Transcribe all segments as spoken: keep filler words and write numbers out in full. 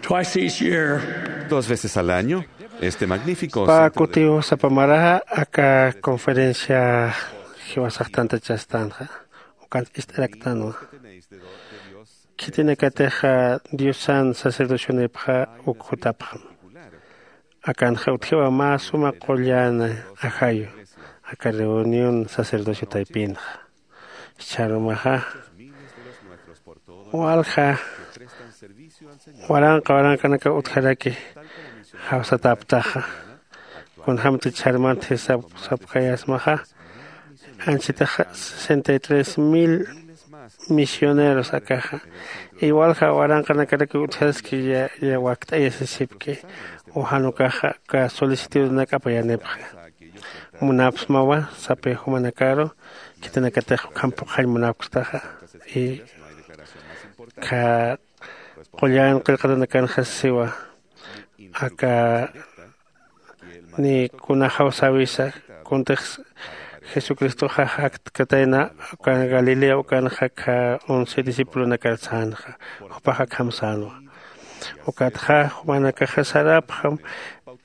Twice each year, dos veces al año, este magnífico pä centro de kutiw sapa maraxa aka conferencia jiwasax tantachastänxa. Ukan ist'araktänwa. Khitinakatix diosan sacerdocionipxa uk jutapxam. Akanxa utjiwa mä suma qullan ajayu aka reunión sacerdocio taypinxa. Jichharumaxa walja waranqa waranqanakaw utjaraki jawsatäptaxa. Kunjämtix jichharumant jisap sapkayasmaxa anchitaxa sesenta y tres mil misioneros akaxa. Iwalja waranqanakarakiw utjaski ya wakt'ayasisipki. Ujan ukaxa aka solicitudnak apayanipxi. Munapsmawa sapï jumanakaru khitinakatix ukham phuqhañ munapkstaxa. Y aka qullan qillqatanakanxa siwa aka ni kunaxaw sawisa kuntix jesucristoxa jaktkatayna ukan galilea ukanxa akha once discipulonakar sänxa. Jupax akham sänwa. Ukatxa jumanakaxa sarapxam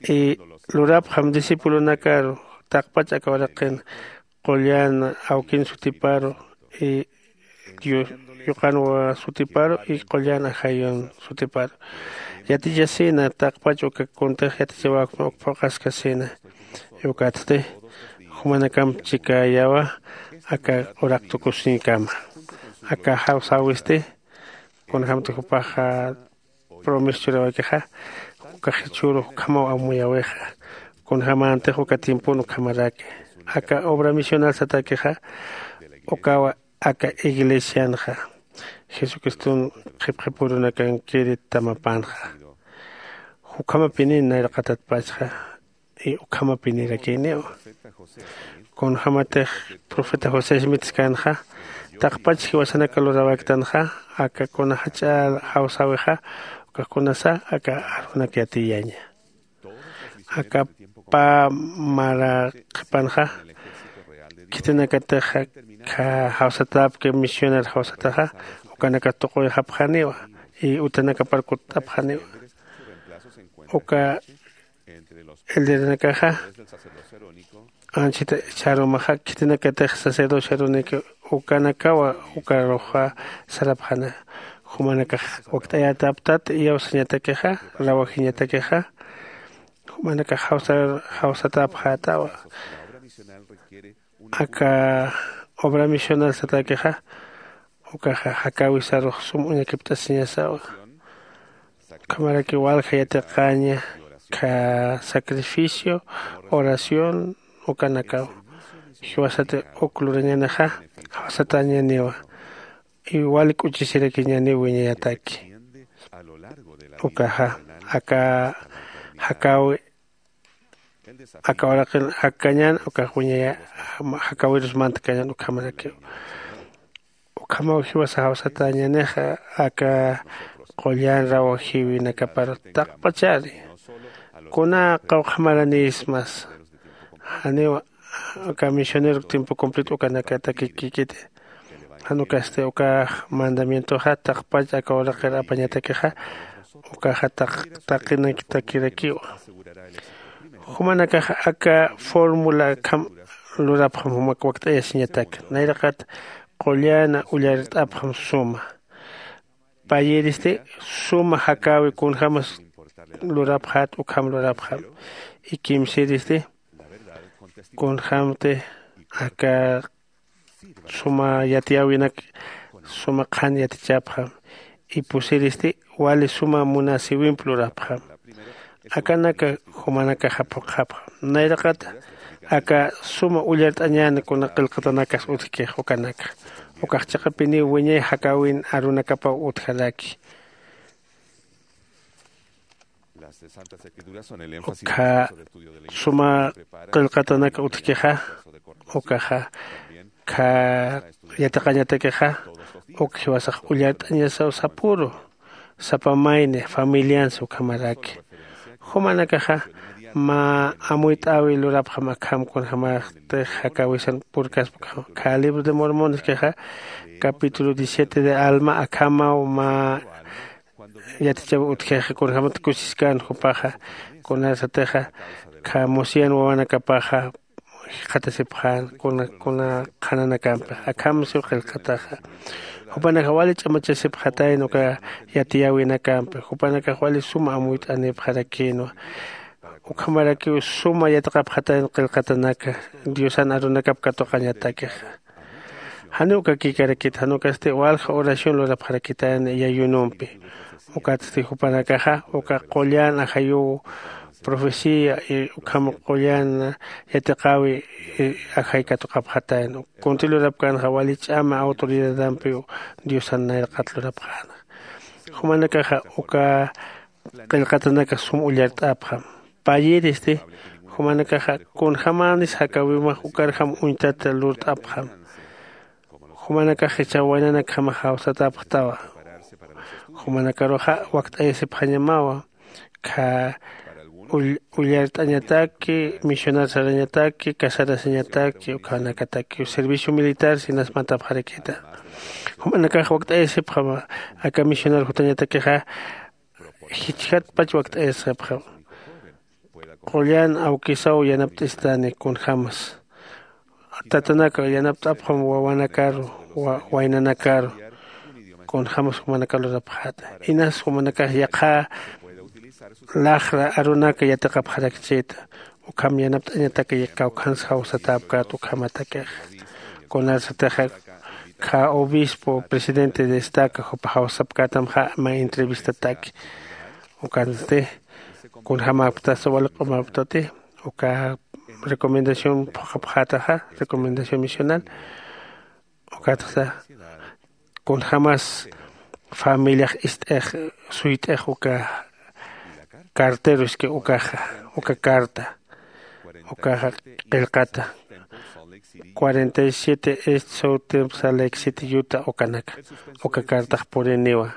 y lurapxam discipulonakaru taqpach aka uraqin qullan awkin sutiparu y yuqan sutiparu y qullan ajayun sutiparu yatichasina taqpach uka kuntix yatichawakma uk phuqhaskasina. Ukatsti jumanakamp chikäyawa aka uraq tukusiñkama. Aka jawsäwisti kunjämtix jupaxa promesa churäwikixa ukax jichhüru ukhamaw amuyäwixa. Kunjämäntix uka tiempon ukhamaraki aka obra misional satäkixa ukawa aka iglesianxa jesucriston qhipqhipürunakankiri tamapanxa. Ukhamapini nayraqatatpachxa y ukhamapinirakiniwa. Kunjämatix profeta josé smith skanxa taqpach jiwasanaka luräwaktanxa aka kuna jach'a jawsäwixa ukax kunasa aka arunak yatiyaña. Aka pä mara qhipanxa khitinakatix akha jawsatäpki misioner jawsataxa ukanakat tuquyxapxaniwa y utanakapar kutt'apxaniwa. Uka elderenakaxa anchita jichharumaxa khitinakatix sacerdocio arunik ukanakawa ukaruxa sarapxana. Jumanakax wakt'ayätäptat iyawsañatakixa rawajiñatakixa jumanakax jawsatäpxätawa. Aka obra misional satäkixa ukaxa jakäwisarux sum uñakipt'asiñasawa. Ukhamaraki walja yatiqaña kha sacrificio oración ukanakaw. Jiwasati uk lurañänixa jawsatäñäniwa y wali k'uchisirakiñäniw wiñayataki. Ukaxa aka jakäwi aka uraqin jakkañän ukax wiñaya jakäwirus mantkañän ukhamarakiw. Ukhamaw jiwasa jawsatäñänixa aka qullan rawajïwinakapar taqpachari kuna qawqha maranïsmas janiw aka misionero tiempo completo ukanakatakikikiti. Jan ukasti ukax mandamientoxa taqpach aka uraqir apañatakixa ukaxa taqinaktakirakiwa. Jumanakaxa aka fórmula akham lurapxam jumak wakt'ayasiñatak nayraqat qullan ullart'apxam suma. Payïristi suma jakäwi kunjämas lurapxät ukham lurapxam. Y kimsïristi kunjämti aka suma yatiyäwinak suma qhan yatichapxam. Y pusiristi wali suma munasïwimp lurapxam. Akanaka jumanakaxa phuqhapxam nayraqata aka suma ullart'añän kuna qillqatanakas utjkix ukanaka. Ukax chiqapiniw wiñay jakäwin arunakapaw utjaraki. Ukkha suma qillqatanaka utjkixa ukaxa kha yatiqañatakixa uk jiwasax ullart'añasaw sapüru sapa mayni familiansa ukhamaraki. Jumanakaxa mä amuyt'äwi lurapxam akham kunjämaxtix jakäwisan purkaspa ukham kha libro de mormoneskixa capítulo diecisiete de alma akhamaw mä yatichaw utjixa kunjämat kusiskän jupaxa. Kunarsatixa kha musiyan wawanakapaxa jikxatasipxän kuna kuna qhananakampi. Akham siw qillqataxa jupanakax wali ch'amachasipxatayna uka yatiyäwinakampi jupanakax wali suma amuyt'anipxarakïnwa. Ukhamarakiw suma yatiqapxatayna qillqatanaka diosan arunakap katuqañatakixa. Janiw ukakïkarakit jan ukasti walja oración lurapxarakitayna yayunumpi. Ukatsti jupanakaxa uka qullan ajayuw profecía ukham qullan yatiqäwi ajay katuqapxatayna. Kunti lurapkänxa wali ch'ama autoridadampiw diosan nayraqat lurapxäna. Jumanakaxa uka qillqatanaka sum ullart'apxam. Payïristi jumanakaxa kunjämänis jakäwimax ukarjam uñtata lurt'apxam. Jumanakax jichhaw waynanakjamax jawsatäpxtawa. Jumanakaruxa wakt'ayasipxañamawa. Kha ullart'añataki misionar sarañataki casarasiñataki ukhanakataki servicio militar sinas mantapxarakita. Jumanakax wakt'ayasipxama aka misionar jutañatakixa jichjatpach wakt'ayasipxama. Qullan awkisaw yanapt'istani kunjämas tatanaka yanapt'apxam wawanakaru waynanakaru. Kunjämas jumanakar lurapxäta inas jumanakax yaqha laxra arunaka yatiqapxarakchïta. Ukham yanapt'añataka kawkhans jawsatäpkät ukhamatakixa. Kunarsatixa kha obispo presidente de estaca jupa jawsapkätamxa mä entrevistataki. Ukansti kunjämäpktasa wali q'umaptati uka recomendación phuqhapxätaxa recomendación misional. Ukatxa kunjämas familiax ist'ix suyt'ix uka carteroski ukaxa uka carta ukaxa qillqata cuarenta y siete est south temp salek siete yuta ukanaka uka cartax puriniwa.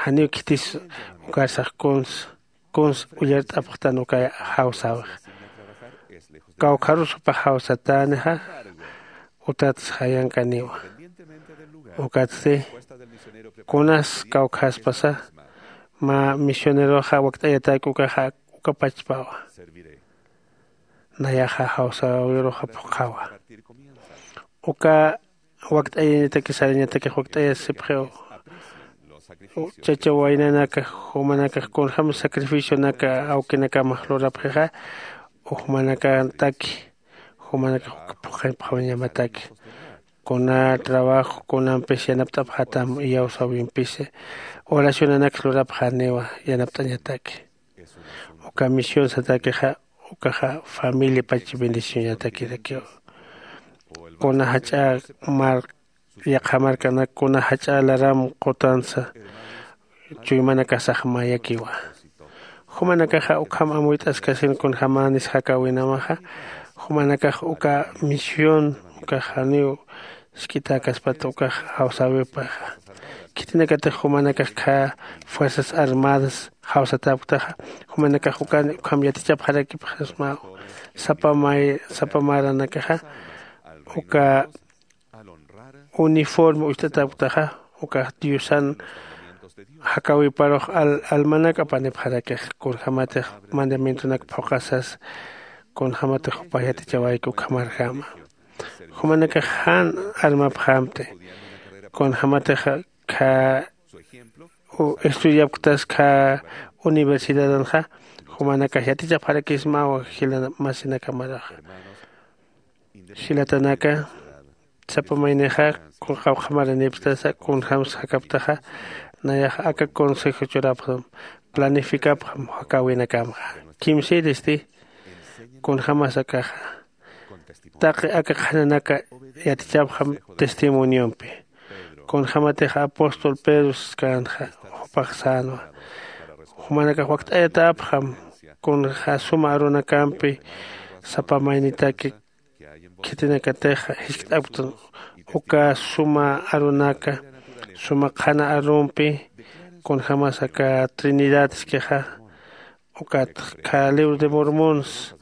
Janiw khitis ukarsax kuns kuns ullart'apxtan uka jawsäwix. Kawkharus jupax jawsatänixa utats jayankaniwa. Ukatsti kunas kawkhaspasa mä misioneroxa wakt'ayatäki ukaxa uka pachpawa. Nayaxa jawsäwiruxa phuqhawa. Uka wakt'ayañataki sarañatakix wakt'ayasipxiw. Chacha waynanaka jumanakax kunjäm sacrificionaka awkinakamax lurapxixa ujmanakataki jumanakax phuqhipxawañamataki. Kuna trabajo kunampis yanapt'apxätam iyawsäwimpisi oracionanakx lurapxäniwa yanapt'añataki. Uka misión satakixa ukaxa familia pach bendicionatakirakiw. Kuna jach'a mar yaqha markanak kuna jach'a laram qutansa chuymanakasax mayakiwa. Jumanakaxa ukham amuyt'askasin kunjämänis jakäwinamaxa jumanakax uka misión ukax janiw jisk'itäkaspata ukax jawsäwipaxa. Khitinakatix jumanakax khä fuerzas armadas jawsatäpktaxa jumanakax ukan ukham yatichapxarakipxasmaw. Sapa may sapa maranakaxa uka uniforme ucht'atäpktaxa ukax diosan jakäwiparux almanak apanipxarakix kunjämatix mandamientonak phuqhasas kunjämatix jupax yatichawayki ukhamarjama. Jumanakax jan armapxämti kunjämatix khä estudiapktas khä universidadanxa jumanakax yatichapxarakismawa jila masinakamaraxa. Jilatanaka sapa maynixa qawqha maranipstasa kunjämsa jakaptaxa nayaxa aka consejo churapxam planificapxam jakäwinakamxa. Kimsïristi kunjämas akaxa taqi aka qhananaka yatichapxam testimoniompi. Kunjämatix apóstol pedro saskkänxa jupax sänwa jumanakax wakt'ayatäpxam kunja suma arunakampi sapa maynitaki khitinakatix jiskt'apktan uka suma arunaka suma qhana arumpi kunjämas aka trinidad iskixa ukat kha libro de mormons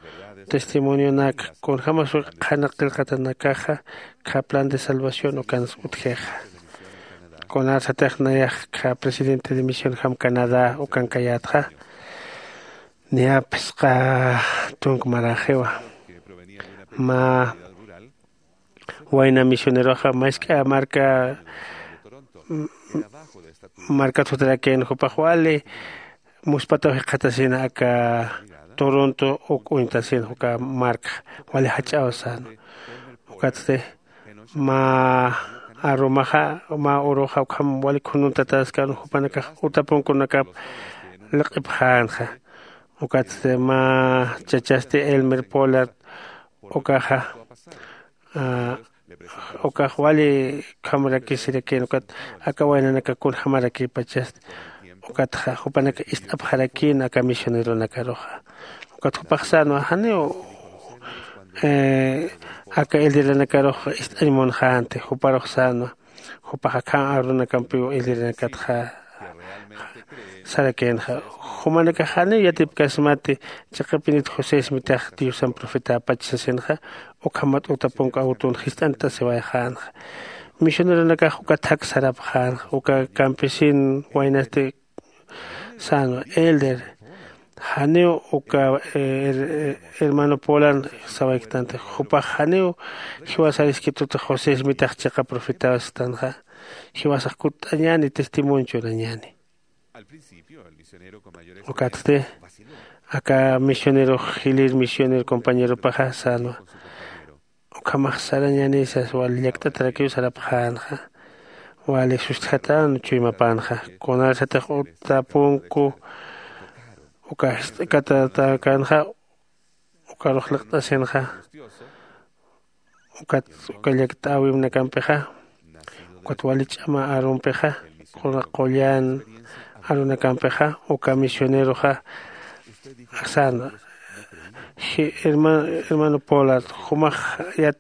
testimonionak kunjämas uka qhana qillqatanakaxa kha plan de salvación ukans utjixa. Kunarsatix nayax kha presidente de misión jam canadá ukankayätxa. Niyapsqa tunk maraxiwa mä wayna misioneroxa mask'a marka markat jutarakïn jupax wali muspataw jikxatasina aka toronto uk uñtasina uka markxa wali jach'aw sänwa. Ukatsti mä arumaxa mä uruxa ukham wali khununtatäskän jupanakax utapunkunakap liq'ipxänxa. Ukatsti mä chachasti elmer pollard ukaxa ukax wali ukhamrakisirakïn ukat aka waynanaka kunjamarakïpachasti. Ukatxa jupanaka ist'apxarakïn aka misioneronakaruxa. Ukat jupax sänwa janiw aka elderanakarux ist'añ munxänti juparux sänwa. Jupax akham arunakampiw elderanakatxa sarakïnxa. Jumanakax janiw yatipkasmati chiqapinit josé ismitax diosan profetäpach sasinxa. Ukhamat utapunku awtun jist'antasiwayxänxa. Misioneronakax uka thak sarapxänxa uka campesin waynasti sänwa elder janiw uka hermano polan sawayktanti. Jupax janiw jiwasar iskitutix josé ismitax chiqa profetaw sistanxa. Jiwasax kutt'añäni testimonio churañäni. Ukatsti aka misionerox jilir misioner compañeropaxa sänwa. Ukhamax sarañäni sas wali llakt'atarakiw sarapxänxa. Wali sustjatän chuymapänxa kunarsatix utapunku uka jist'katatäkänxa. Ukarux liqt'asinxa ukat uka llakt'äwimnakampixa ukat wali ch'ama arumpixa qullan arunakampixa uka misioneroxa sänwa. Hermano pollard jumax yat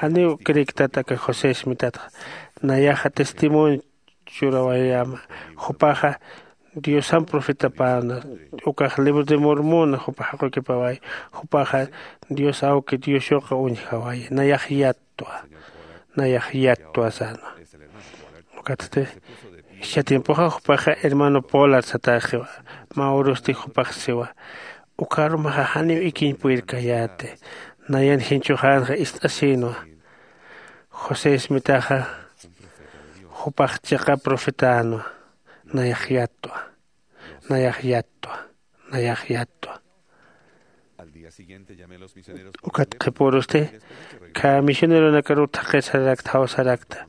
janiw criktat aka josé ismitatxa. Nayaxa testimonio churawayäma. Jupaxa diosan profetapäna ukax libro de mormona jupa jaqukipawayi. Jupaxa dios awki dios yuqa uñjawayi nayax yattwa. Nayax yattwa sänwa. Ukatsti jichha tiempoxa jupaxa hermano pollard satäxiwa. Mä urusti jupax siwa uka arumaxa janiw ikiñ purirkayäti. Nayan jinchuxänxa ist'asïnwa. José ismitaxa jupax chiqa profetänwa. Nayax yattwa. Nayax yattwa. Nayax yattwa. Ukat qhipürusti kha misioneronakaruw thaqir sararakta jaw sarakta.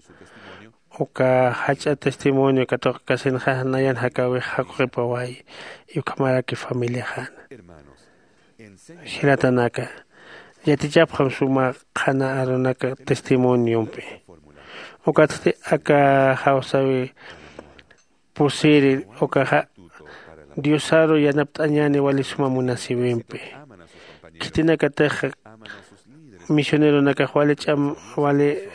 Uka jach'a testimonio katuqkasinxa nayan jakäwix jaquqipawayi. Ukhamaraki familiaxäna jilatanaka yatichapxam suma qhana arunaka testimoniompi. Ukatsti aka jawsäwi pusiri ukaxa diosaru yanapt'añäni wali suma munasïwimpi. Khitinakatix misioneronakax wali ch'am wali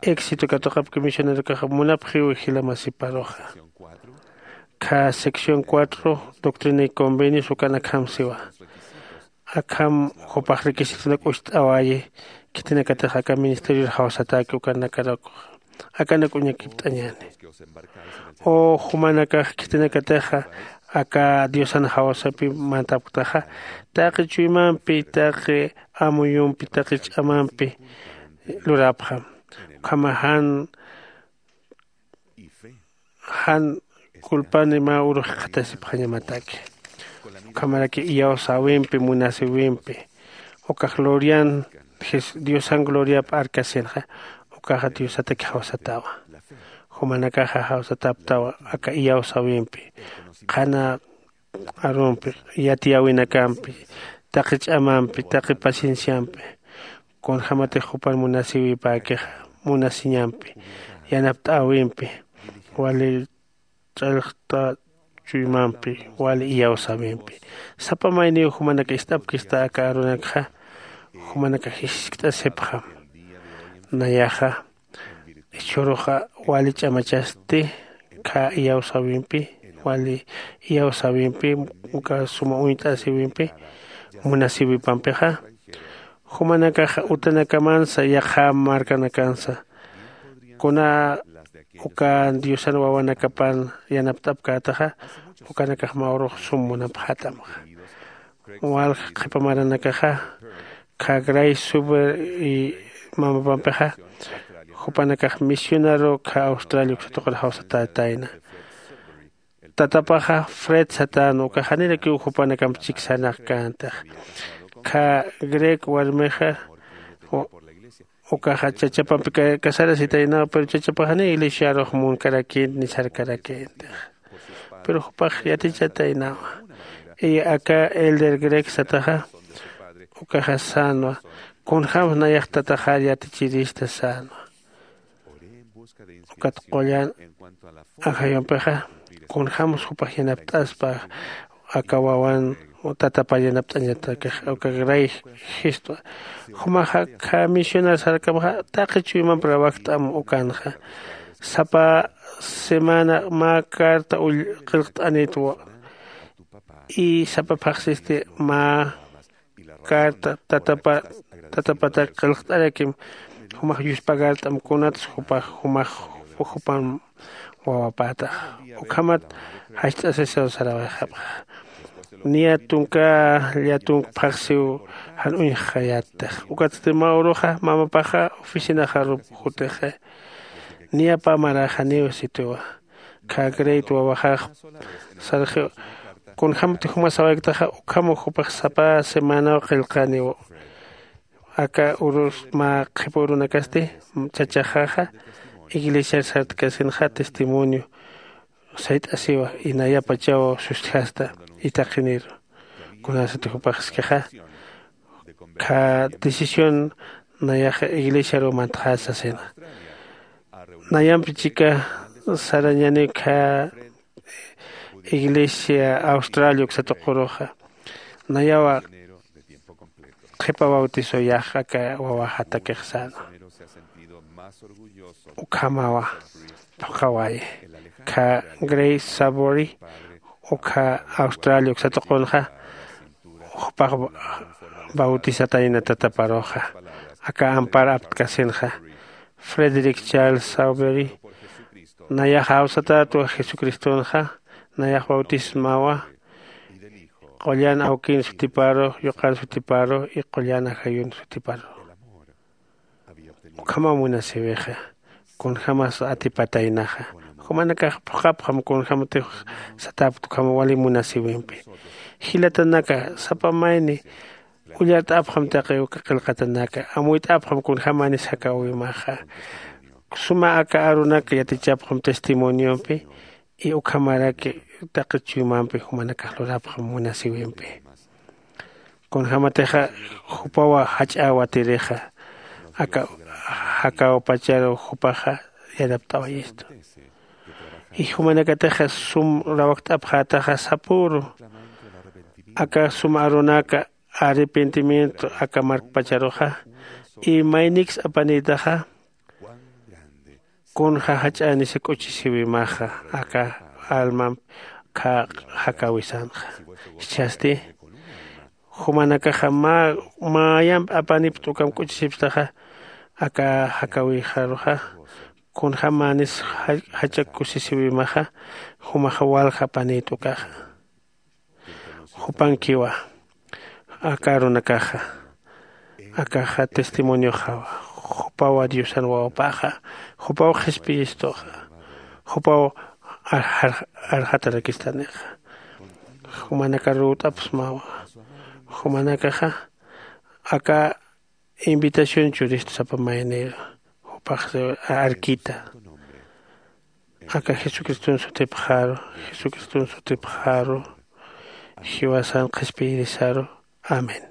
éxito katuqapki misionerokax munapxiw jila masiparuxa. Kha sección cuatro doctrina y convenios ukan akham siwa. Akham jupax requisitonak ucht'awayi khitinakatix aka ministerior jawsatäki ukanakarakux akanak uñakipt'añäni. U jumanakax khitinakatixa aka diosan jawsapi mantapktaxa taqi chuymampi taqi amuyumpi taqi ch'amampi luräpxam. Ukhama jan jan culpani mä urux jikxatasipxañamataki. Ukhamaraki iyawsäwimpi munasïwimpi uka glorian diosan gloriap arkasinxa ukaxa diosataki jawsatawa. Jumanakaxa jawsatäptawa aka iyawsäwimpi qhana arumpi yatiyäwinakampi taqi ch'amampi taqi pacienciampi kunjämatix jupan munasïwipäkixa munasiñampi yanapt'äwimpi wali ch'allxta chuymampi wali iyawsäwimpi. Sapa mayniw jumanaka ist'apkista aka arunakxa jumanaka jiskt'asipxam. Nayaxa jichhüruxa wali ch'amachasti kha iyawsäwimpi wali iyawsäwimpi uka suma uñt'asïwimpi munasïwipampixa jumanakaxa utanakamansa yaqha markanakansa kuna uka diosan wawanakapan yanapt'apkätaxa, ukanakax mä urux sum munapxätamxa. Walja qhipa maranakaxa, khagray suber y mamapampixa, jupanakax misionaru kha australia uksatuqir jawsatätayna. Tatapaxa fred satän ukax janirakiw jupanakamp chiksanakkäntix. Kha grek warmixa ukaxa chachapampi kasarasitaynaw pero chachapax janiw iglesiarux munkarakïnti ni sarkarakïntix. Pero jupax yatichataynawa. Y aka elder grek sataxa ukaxa sänwa, kunjämsa nayax tataxar yatichirista sänwa. Ukat qullan ajayumpixa kunjämsa jupax yanapt'aspa aka wawan tatapar yanapt'añatakix uka gray jistwa. Jumaxa khä misionar sarkamxa taqi chuymamp rawajt'am ukanxa. Sapa semana mä carta qillqt'anitwa. Y sapa phaxsisti mä carta tatapatak qillqt'arakim. Jumax yuspagart'am kunats jupax jumax jupan wawapätax. Ukhamat jast'asisaw sarawayxapxa. Niya tunka llatunk phaxsiw jan uñjxayattix. Ukatsti mä uruxa mamapaxa oficinaxarup jutixa. Niya pä maraxaniw sitiwa. Khä greyt wawaxax sarxiw. Kunjämti juma sawayktaxa ukhamaw jupax sapa semanaw qillqaniw. Aka urus mä qhipa urunakasti chachaxaxa iglesiar sartkasinxa testimonio sayt'asiwa. Inayapachaw sustjasta itaqiniru kunasati jupaxskixa khä decisión nayaxa iglesiaru mantxasasina. Nayampi chika sarañani khä iglesia australia uksatuquruxa nayawa qhipa bautiso yax aka wawaxatakix säna. Ukhamawa phuqhawayi. Khä grace sabori ukha australia uksatuqunxa jupax bautisatayna tataparuxa aka ampar aptkasinxa. Frederick charles sauberi nayax awsatätwa jesucristonxa nayax bautismawa. Qullan awkin sutiparu yuqan sutiparu y qullan ajayun sutiparu. Ukhama munasiwixa kunjämas atipataynaxa. Jumanakax phuqhapxam kunjämatix satäpt ukhama wali munasiwimpi. Jilatanaka sapa mayni ullart'apxam taqi uka qillqatanaka amuyt'apxam kunjämanis jakäwimaxa. Suma aka arunak yatichapxam testimoniompi y ukhamaraki taqi chuymampi jumanakax lurapxam munasiwimpi. Kunjämatixa jupawa jach'äwatirixa aka jakäwpacharu jupaxa yanapt'awayistu. Y jumanakatixa sum rawakt'apxätaxa sapüru aka sum arunaka arrepentimiento aka markpacharuxa y mayniks apanïtaxa kunja jach'änisa k'uchisiwimaxa aka almamp kha jakäwisanxa. Jichhasti jumanakaxa mä mayamp apanipt'ukam k'uchisipstaxa aka jakäwixaruxa kunjämanis jach'a kusisiwimaxa jumaxa walja apanït'ukaxa. Jupankiwa aka arunakaxa akaxa testimonioxawa. Jupawa diosan wawapaxa jupaw qhispiyistuxa jupaw arxatarakistanixa. Jumanaka ruwt'apxsmawa jumanakaxa aka invitación churistu sapa mayniru jupax arkita. Aka jesucriston sutipxaru jesucriston sutipxaru jiwasan qhispiyirisaru. Amén.